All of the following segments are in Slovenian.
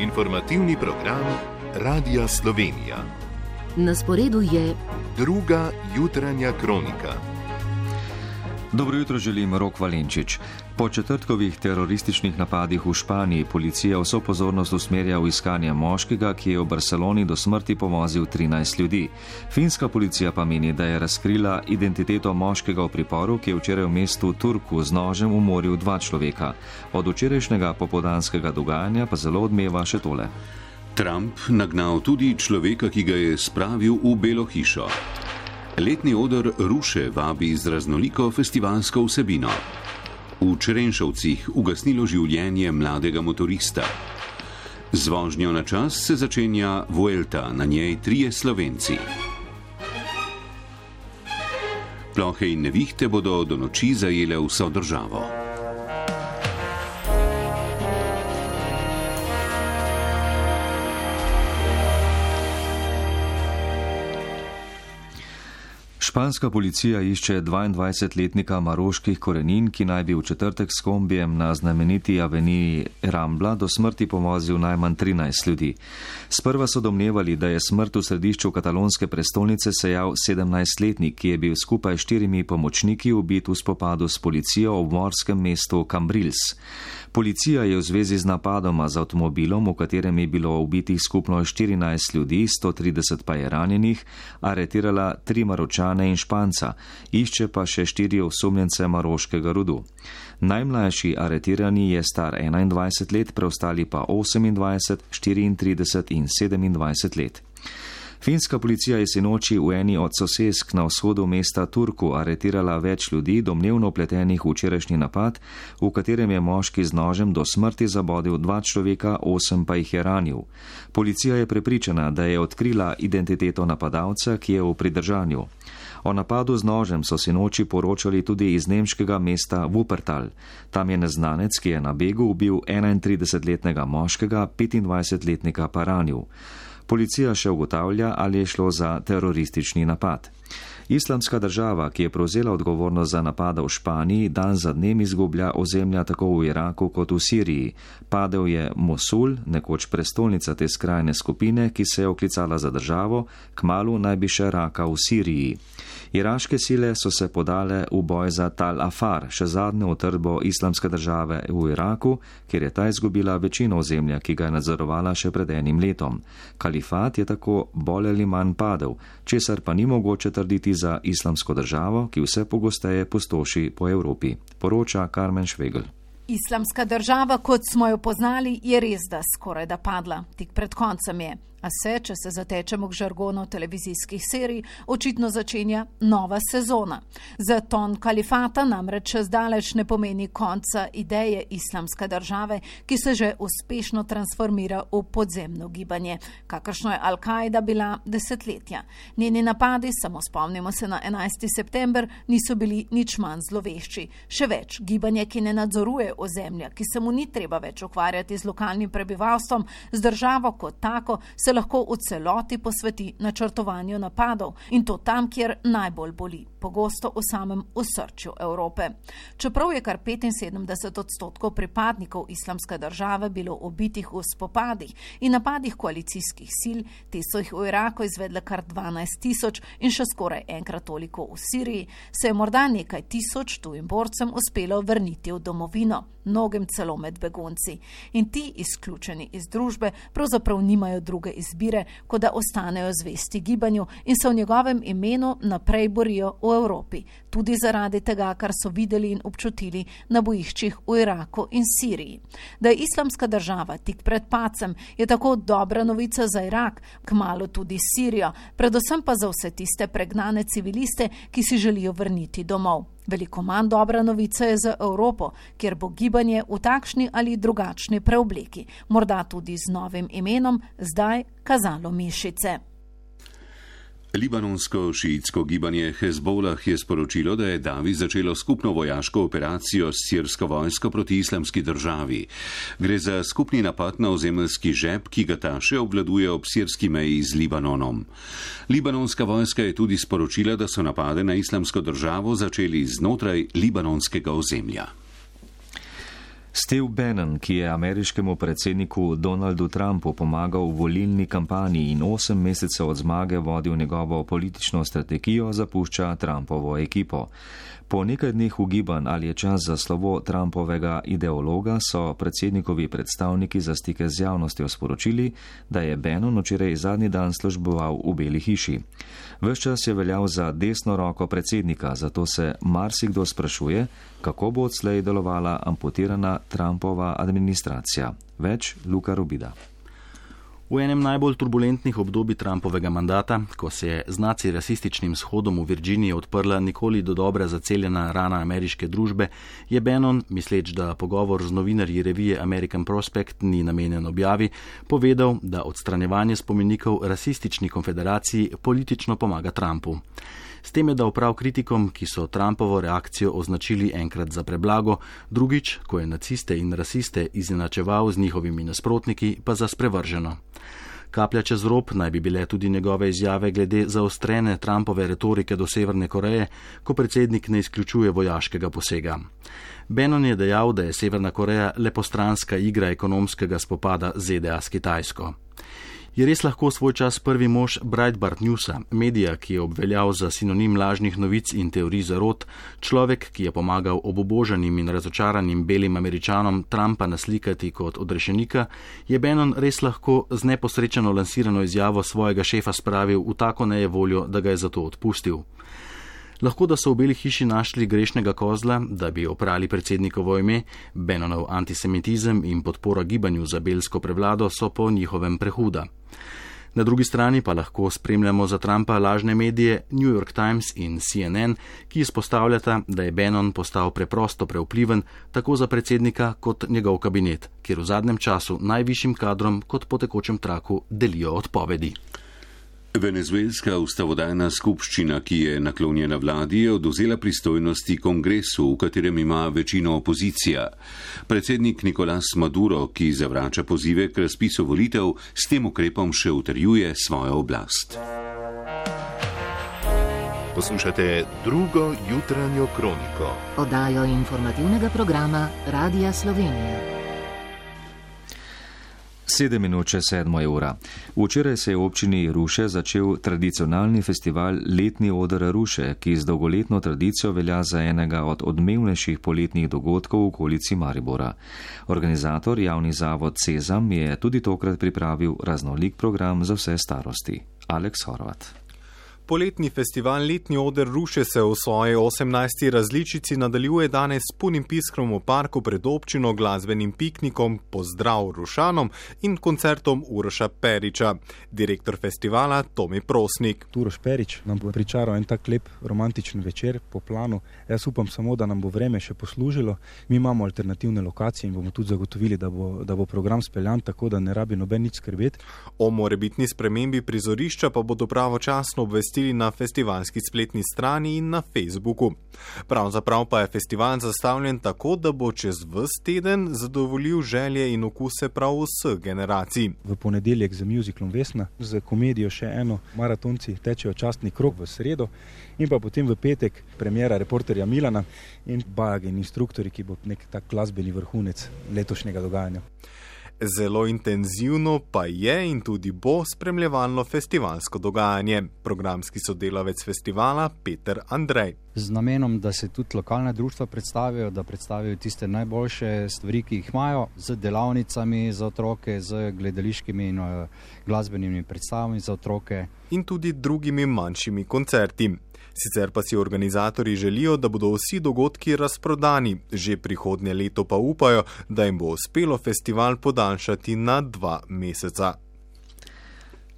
Informativni program Radia Slovenija. Na sporedu je druga jutranja kronika. Dobro jutro želim, Rok Valenčič. Po četrtkovih terorističnih napadih v Španiji policija vso pozornost usmerja v iskanje moškega, ki je v Barceloni do smrti povozil 13 ljudi. Finska policija pa meni, da je razkrila identiteto moškega v priporu, ki je včeraj v mestu Turku z nožem umoril 2 človeka. Od včerajšnjega popoldanskega dogajanja pa zelo odmeva še tole. Trump nagnal tudi človeka, ki ga je spravil v Belo hišo. Letni oder Ruše vabi z raznoliko festivalsko vsebino. V Črenšovcih ugasnilo življenje mladega motorista. Z vožnjo na čas se začenja Vuelta, na njej 3 Slovenci. Plohe in nevihte bodo do noči zajele vso državo. Španska policija išče 22-letnika maroških korenin, ki naj bi v četrtek s kombijem na znameniti aveniji Rambla do smrti povozil najmanj 13 ljudi. Sprva so domnevali, da je smrt v središču katalonske prestolnice sejal 17-letnik, ki je bil skupaj s 4 pomočniki ubit v spopadu s policijo v morskem mestu Cambrils. Policija je v zvezi z napadoma z avtomobilom, v katerem je bilo ubitih skupno 14 ljudi, 130 pa je ranjenih, aretirala 3 Maročane in Španca, išče pa še 4 osumljence maroškega rodu. Najmlajši aretirani je star 21 let, preostali pa 28, 34 in 27 let. Finska policija je sinoči v eni od sosesk na vzhodu mesta Turku aretirala več ljudi, domnevno vpletenih v včerajšnji napad, v katerem je moški z nožem do smrti zabodel 2 človeka, 8 pa jih je ranil. Policija je prepričana, da je odkrila identiteto napadalca, ki je v pridržanju. O napadu z nožem so sinoči poročali tudi iz nemškega mesta Wuppertal. Tam je neznanec, ki je na begu ubil 31-letnega moškega, 25-letnika pa ranil. Policija še ugotavlja, ali je šlo za teroristični napad. Islamska država, ki je prevzela odgovornost za napada v Španiji, dan za dnem izgublja ozemlja tako v Iraku kot v Siriji. Padel je Mosul, nekoč prestolnica te skrajne skupine, ki se je oklicala za državo, kmalu naj bi še Raka v Siriji. Iraške sile so se podale v boj za Tal Afar, še zadnjo utrdbo islamske države v Iraku, kjer je ta izgubila večino ozemlja, ki ga je nadzorovala še pred 1 letom. Kalifat je tako bolj ali manj padel, česar pa ni mogoče trditi za islamsko državo, ki vse pogosteje pustoši po Evropi, poroča Karmen Švegl. Islamska država, kot smo jo poznali, je res da skoraj da padla, tik pred koncem je. A se, če se zatečemo k žargonu televizijskih serij, očitno začenja nova sezona. Zaton kalifata namreč zdaleč ne pomeni konca ideje islamske države, ki se že uspešno transformira v podzemno gibanje, kakršno je Al-Kaida bila desetletja. Njeni napadi, samo spomnimo se na 11. september, niso bili nič manj zlovešči. Še več, gibanje, ki ne nadzoruje ozemlja, ki se mu ni treba več ukvarjati z lokalnim prebivalstvom, z državo kot tako, se lahko v celoti posveti načrtovanju napadov in to tam, kjer najbolj boli, pogosto v samem osrčju Evrope. Čeprav je kar 75% pripadnikov islamske države bilo ubitih v spopadih in napadih koalicijskih sil, te so jih v Iraku izvedle kar 12 000 in še skoraj enkrat toliko v Siriji, se je morda nekaj tisoč tujim borcem uspelo vrniti v domovino, mnogim celo med begunci. In ti, izključeni iz družbe, pravzaprav nimajo druge izbire, kot da ostanejo zvesti gibanju in se v njegovem imenu naprej borijo v Evropi, tudi zaradi tega, kar so videli in občutili na bojiščih v Iraku in Siriji. Da je islamska država tik pred padcem, je tako dobra novica za Irak, kmalu tudi Sirijo, predvsem pa za vse tiste pregnane civiliste, ki si želijo vrniti domov. Veliko manj dobra novica je za Evropo, kjer bo gibanje v takšni ali drugačni preobleki, morda tudi z novim imenom, zdaj kazalo mišice. Libanonsko šiitsko gibanje Hezbolah je sporočilo, da je Davi začelo skupno vojaško operacijo s sirsko vojsko proti islamski državi. Gre za skupni napad na ozemeljski žep, ki ga ta še obvladuje ob sirski meji z Libanonom. Libanonska vojska je tudi sporočila, da so napade na islamsko državo začeli znotraj libanonskega ozemlja. Steve Bannon, ki je ameriškemu predsedniku Donaldu Trumpu pomagal v volilni kampanji in 8 mesecev od zmage vodil njegovo politično strategijo, zapušča Trumpovo ekipo. Po nekaj dneh ugibanj, ali je čas za slovo Trumpovega ideologa, so predsednikovi predstavniki za stike z javnostjo sporočili, da je Bannon včeraj zadnji dan služboval v Beli hiši. Ves čas je veljal za desno roko predsednika, zato se marsikdo sprašuje, kako bo odslej delovala amputirana Trumpova administracija. Več Luka Rubida. V enem najbolj turbulentnih obdobij Trumpovega mandata, ko se je z naci-rasističnim shodom v Virginiji odprla nikoli do dobra zaceljena rana ameriške družbe, je Bannon, misleč, da pogovor z novinarji revije American Prospect ni namenjen objavi, povedal, da odstranjevanje spomenikov rasistični konfederaciji politično pomaga Trumpu. S tem je dal prav kritikom, ki so Trumpovo reakcijo označili enkrat za preblago, drugič, ko je naciste in rasiste izenačeval z njihovimi nasprotniki, pa za sprevrženo. Kaplja čez rob naj bi bile tudi njegove izjave glede zaostrene Trumpove retorike do Severne Koreje, ko predsednik ne izključuje vojaškega posega. Bannon je dejal, da je Severna Koreja le postranska igra ekonomskega spopada ZDA s Kitajsko. Je res lahko svoj čas prvi mož Breitbart Newsa, medija, ki je obveljal za sinonim lažnih novic in teorij zarot, človek, ki je pomagal obubožanim in razočaranim belim Američanom Trumpa naslikati kot odrešenika, je Bannon res lahko z neposrečeno lansirano izjavo svojega šefa spravil v tako nejevoljo, da ga je zato odpustil. Lahko, da so v Beli hiši našli grešnega kozla, da bi oprali predsednikovo ime, Bannonov antisemitizem in podpora gibanju za belsko prevlado so po njihovem prehuda. Na drugi strani pa lahko spremljamo za Trumpa lažne medije New York Times in CNN, ki izpostavljata, da je Bannon postal preprosto prevpliven tako za predsednika kot njegov kabinet, kjer v zadnjem času najvišjim kadrom kot po tekočem traku delijo odpovedi. Venezuelska ustavodajna skupščina, ki je naklonjena vladi, je odvzela pristojnosti kongresu, v katerem ima večino opozicija. Predsednik Nicolás Maduro, ki zavrača pozive k razpisu volitev, s tem ukrepom še utrjuje svojo oblast. Poslušate drugo jutranjo kroniko. Oddajo informativnega programa Radia Slovenija. 7:07 ura. Včeraj se je v občini Ruše začel tradicionalni festival Letni oder Ruše, ki z dolgoletno tradicijo velja za enega od odmevnejših poletnih dogodkov v okolici Maribora. Organizator, javni zavod Sezam, je tudi tokrat pripravil raznolik program za vse starosti. Aleks Horvat. Poletni festival Letni oder Ruše se v svoji 18. različici nadaljuje danes s punim piskrom v parku pred občino, glasbenim piknikom Pozdrav Rušanom in koncertom Uroša Periča. Direktor festivala Tomi Prosnik. Uroš Perič nam bo pričaral en tak lep romantičen večer po planu. Jaz upam samo, da nam bo vreme še poslužilo. Mi imamo alternativne lokacije in bomo tudi zagotovili, da bo program speljan, tako da ne rabi noben nič skrbeti. O morebitni spremembi prizorišča pa bodo pravočasno obvestili na festivalski spletni strani in na Facebooku. Pravzaprav pa je festival zastavljen tako, da bo čez ves teden zadovoljil želje in okuse prav vseh generacij. V ponedeljek z musicalom Vesna, z komedijo še eno, maratonci tečejo častni krog v sredo in pa potem v petek premiera Reporterja Milana in Bajag in instruktori, ki bo nek tak glasbeni vrhunec letošnjega dogajanja. Zelo intenzivno pa je in tudi bo spremljevalno festivalsko dogajanje. Programski sodelavec festivala Peter Andrej. Z namenom, da se tudi lokalne društva predstavijo, da predstavijo tiste najboljše stvari, ki jih imajo, z delavnicami za otroke, z gledališkimi in glasbenimi predstavami za otroke. In tudi drugimi manjšimi koncerti. Sicer pa si organizatorji želijo, da bodo vsi dogodki razprodani. Že prihodnje leto pa upajo, da jim bo uspelo festival podaljšati na 2 meseca.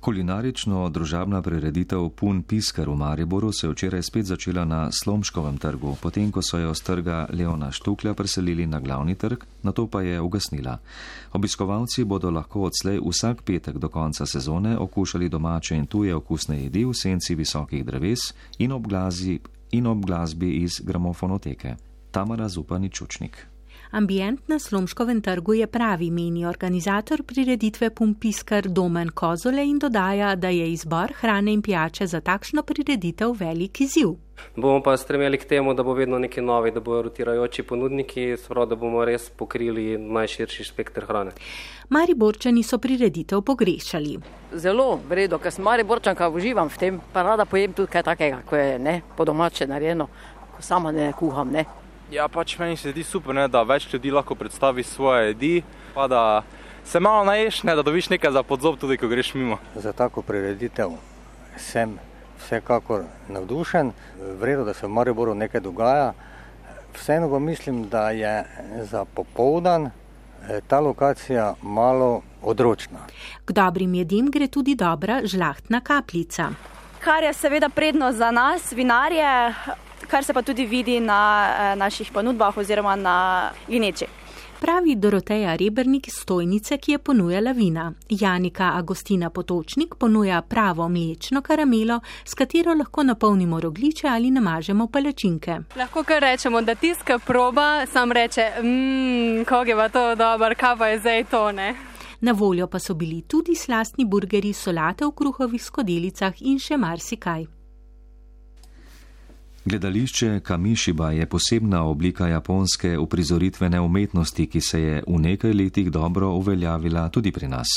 Kulinarično-družabna prireditev Pun pisker v Mariboru se je včeraj spet začela na Slomškovem trgu, potem ko so jo s trga Leona Štuklja preselili na glavni trg, nato pa je ugasnila. Obiskovalci bodo lahko odslej vsak petek do konca sezone okušali domače in tuje okusne jedi v senci visokih dreves in ob glasbi iz gramofonoteke. Tamara Zupanič-Čučnik. Ambient na Slomškovem trgu je pravi, meni organizator prireditve Pumpiskar Domen Kozole in dodaja, da je izbor hrane in pijače za takšno prireditev velik izziv. Bomo pa stremeli k temu, da bo vedno nekaj novi, da bodo rotirajoči ponudniki, da bomo res pokrili najširši spekter hrane. Mariborčani so prireditev pogrešali. Zelo vredo, ker sem Mariborčanka, uživam v tem, pa rada pojem tudi kaj takega, ko je po domače narejeno, ko sama ne kuham. Ja, pač meni se zdi super, da več ljudi lahko predstavi svoje jedi, pa da se malo naješ, da dobiš nekaj za podzob tudi, ko greš mimo. Za tako prireditev sem vsekakor navdušen, vredo, da se v Mariboru nekaj dogaja. Vseeno pa mislim, da je za popoldan ta lokacija malo odročna. K dobrim jedim gre tudi dobra žlahtna kapljica. Kar je seveda prednost za nas, vinarje, kar se pa tudi vidi na naših ponudbah oziroma na gineči. Pravi Doroteja Rebernik iz Stojnice, ki je ponujala vina. Janika Agostina Potočnik ponuja pravo mlečno karamelo, s katero lahko napolnimo rogljiče ali namažemo palačinke. Lahko kar rečemo, da tiska proba, sam reče, kako je pa to dobro, kaj pa je zdaj to, ne? Na voljo pa so bili tudi slastni burgeri, solate v kruhovih skodelicah in še marsikaj. Gledališče Kamishiba je posebna oblika japonske uprizoritvene umetnosti, ki se je v nekaj letih dobro uveljavila tudi pri nas.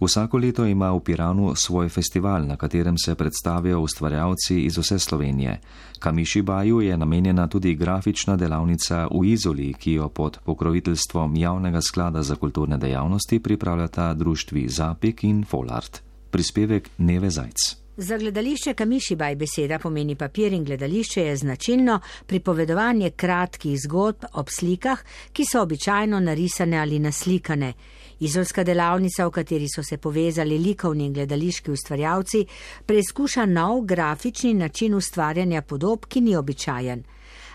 Vsako leto ima v Piranu svoj festival, na katerem se predstavijo ustvarjalci iz vse Slovenije. Kamishibaju je namenjena tudi grafična delavnica v Izoli, ki jo pod pokroviteljstvom Javnega sklada za kulturne dejavnosti pripravljata društvi Zapik in Folart. Prispevek Neve Zajc. Za gledališče Kamishibaj beseda pomeni papir in gledališče je značilno pripovedovanje kratkih zgodb ob slikah, ki so običajno narisane ali naslikane. Izolska delavnica, v kateri so se povezali likovni in gledališki ustvarjalci, preizkuša nov grafični način ustvarjanja podob, ki ni običajen.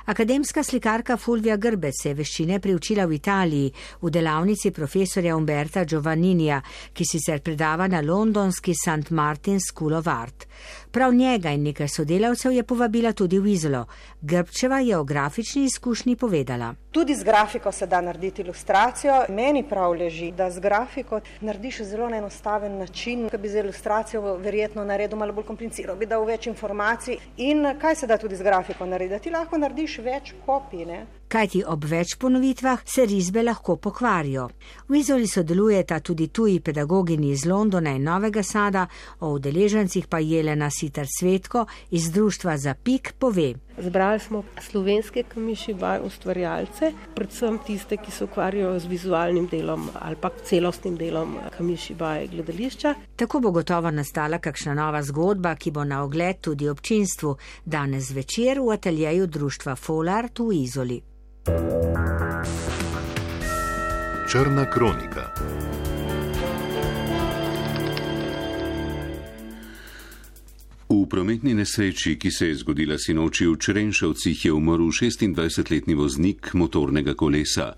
Akademska slikarka Fulvia Grbec se je veščine priučila v Italiji, v delavnici profesorja Umberta Giovanninija, ki sicer predava na londonski St. Martin's School of Art. Prav njega in nekaj sodelavcev je povabila tudi v Izolo. Grbčeva je o grafični izkušnji povedala. Tudi z grafiko se da narediti ilustracijo. Meni prav leži, da z grafiko narediš zelo na enostaven način, ki bi z ilustracijo verjetno naredil malo bolj kompliciral, bi dal več informacij. In kaj se da tudi z grafiko narediti? Ti lahko narediš več kopij, ne? Kajti ob več ponovitvah se risbe lahko pokvarijo. V Izoli sodelujeta tudi tuji pedagogini iz Londona in Novega Sada, o udeležencih pa Jelena Sitar Svetko iz društva Zapik pove. Zbrali smo slovenske Kamishibaj ustvarjalce, predvsem tiste, ki se ukvarjajo z vizualnim delom ali pa celostnim delom Kamishibaj gledališča. Tako bo gotovo nastala kakšna nova zgodba, ki bo na ogled tudi občinstvu, danes zvečer v ateljeju društva Folart v Izoli. Črna kronika. V prometni nesreči, ki se je zgodila sinoči v Črenšovcih, je umrl 26-letni voznik motornega kolesa.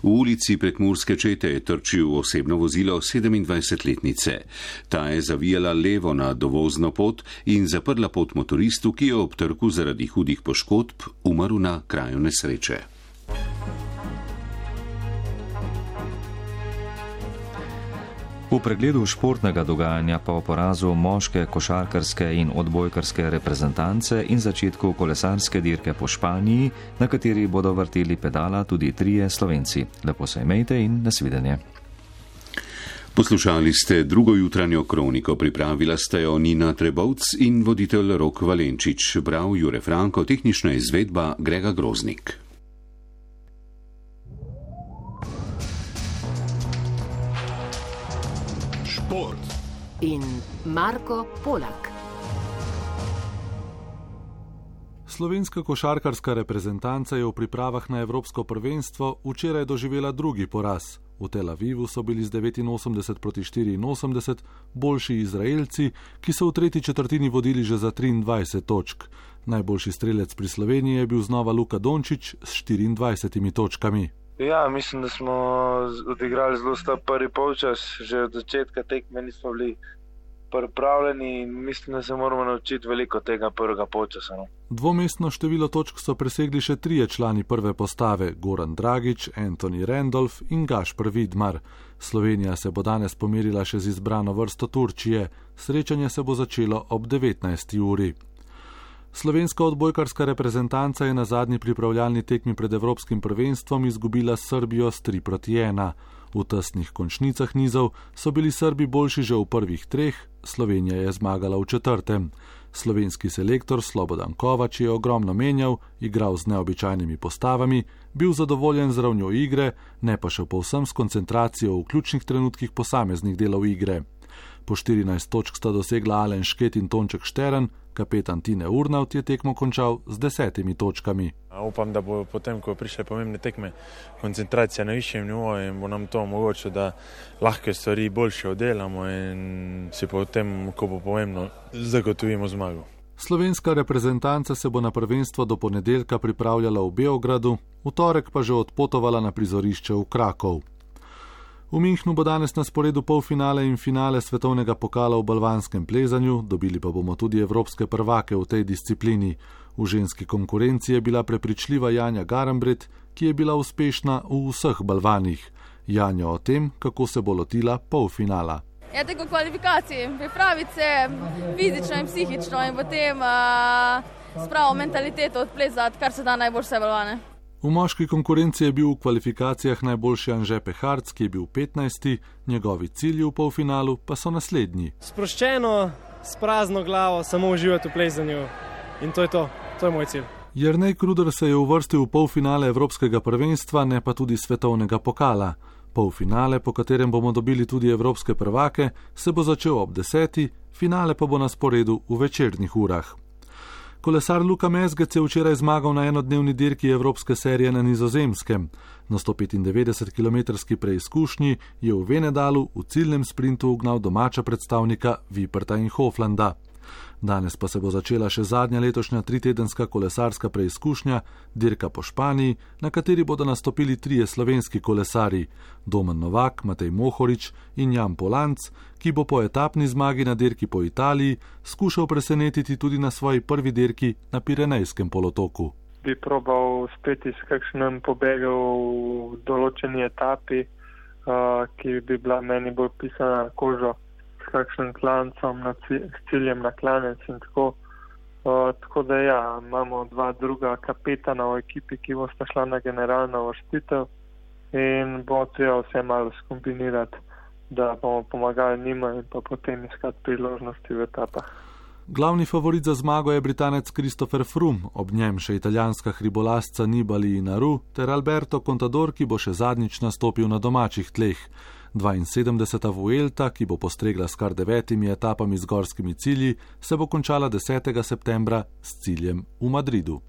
V ulici Prekmurske Čete je trčil osebno vozilo 27-letnice. Ta je zavijala levo na dovozno pot in zaprla pot motoristu, ki je ob trku zaradi hudih poškodb umrl na kraju nesreče. V pregledu športnega dogajanja pa o porazu moške košarkarske in odbojkarske reprezentance in začetku kolesarske dirke po Španiji, na kateri bodo vrteli pedala tudi 3 Slovenci. Lepo se imejte in nasvidenje. Poslušali ste drugo jutranjo kroniko, pripravila sta jo Nina Trebovc in voditelj Rok Valenčič, bral Jure Franko, tehnična izvedba Grega Groznik. In Marko Polak. Slovenska košarkarska reprezentanca je v pripravah na evropsko prvenstvo včeraj doživela drugi poraz. V Tel Avivu so bili z 89-84 boljši Izraelci, ki so v tretji četrtini vodili že za 23 točk. Najboljši strelec pri Sloveniji je bil znova Luka Dončić s 24 točkami. Ja, mislim, da smo odigrali zelo slab prvi polčas, že od začetka tekme nismo bili pripravljeni in mislim, da se moramo naučiti veliko tega prvega polčasa. Dvomestno število točk so presegli še 3 člani prve postave, Goran Dragič, Anthony Randolph in Gašper Vidmar. Slovenija se bo danes pomerila še z izbrano vrsto Turčije. Srečanje se bo začelo ob 19. uri. Slovenska odbojkarska reprezentanca je na zadnji pripravljalni tekmi pred Evropskim prvenstvom izgubila s Srbijo s 3-1. V tesnih končnicah nizov so bili Srbi boljši že v prvih 3, Slovenija je zmagala v 4. Slovenski selektor Slobodan Kovač je ogromno menjal, igral z neobičajnimi postavami, bil zadovoljen z ravnjo igre, ne pa še povsem s koncentracijo v ključnih trenutkih posameznih delov igre. Po 14 točk sta dosegla Alen Šket in Tonček Štern, kapetan Tine Urnavt je tekmo končal z 10 točkami. Upam, da bo potem, ko prišle pomembne tekme, koncentracija na višjem nivoju in bo nam to omogočilo, da lahke stvari boljše oddelamo in si potem, ko bo pomembno, zagotovimo zmago. Slovenska reprezentanca se bo na prvenstvo do ponedeljka pripravljala v Beogradu, v torek pa že odpotovala na prizorišče v Krakov. V Minhnu bo danes na sporedu polfinale in finale svetovnega pokala v balvanskem plezanju, dobili pa bomo tudi evropske prvake v tej disciplini. V ženski konkurenci je bila prepričljiva Janja Garambret, ki je bila uspešna v vseh balvanih. Janja o tem, kako se bo lotila polfinala. Ja, tako kvalifikacij, pripraviti se fizično in psihično in potem s pravo mentaliteto odplezati, kar se da najboljše balvane. V moški konkurenci je bil v kvalifikacijah najboljši Anže Peharc, ki je bil 15. Njegovi cilji v polfinalu pa so naslednji. Sproščeno, s prazno glavo, samo uživati v plezanju in to je to. To je moj cilj. Jernej Kruder se je uvrstil v polfinale Evropskega prvenstva, ne pa tudi svetovnega pokala. Polfinale, po katerem bomo dobili tudi evropske prvake, se bo začel ob 10. Finale pa bo na sporedu v večernih urah. Kolesar Luka Mezgec je včeraj zmagal na enodnevni dirki evropske serije na Nizozemskem. Na 195-kilometrski preizkušnji je v Venedalu v ciljnem sprintu ugnal domača predstavnika Viperta in Hoflanda. Danes pa se bo začela še zadnja letošnja 3-tedenska kolesarska preizkušnja, dirka po Španiji, na kateri bodo nastopili 3 slovenski kolesarji, Domen Novak, Matej Mohorič in Jan Polanc, ki bo po etapni zmagi na dirki po Italiji skušal presenetiti tudi na svoji prvi dirki na Pirenejskem polotoku. Bi probal spet iz kakšnem pobegu v določeni etapi, ki bi bila meni bolj pisana na kožo, s kakšnim klancem, s ciljem na klanec in tako. Tako da ja, imamo 2 druga kapetana v ekipi, ki bosta šla na generalno uvrstitev in bo treba vse malo skombinirati, da bomo pomagali njima in pa potem iskati priložnosti v etapah. Glavni favorit za zmago je Britanec Christopher Froome, ob njem še italijanska hribolazca Nibali Inaru ter Alberto Contador, ki bo še zadnjič nastopil na domačih tleh. 72. Vuelta, ki bo postregla s kar 9 etapami z gorskimi cilji, se bo končala 10. septembra s ciljem v Madridu.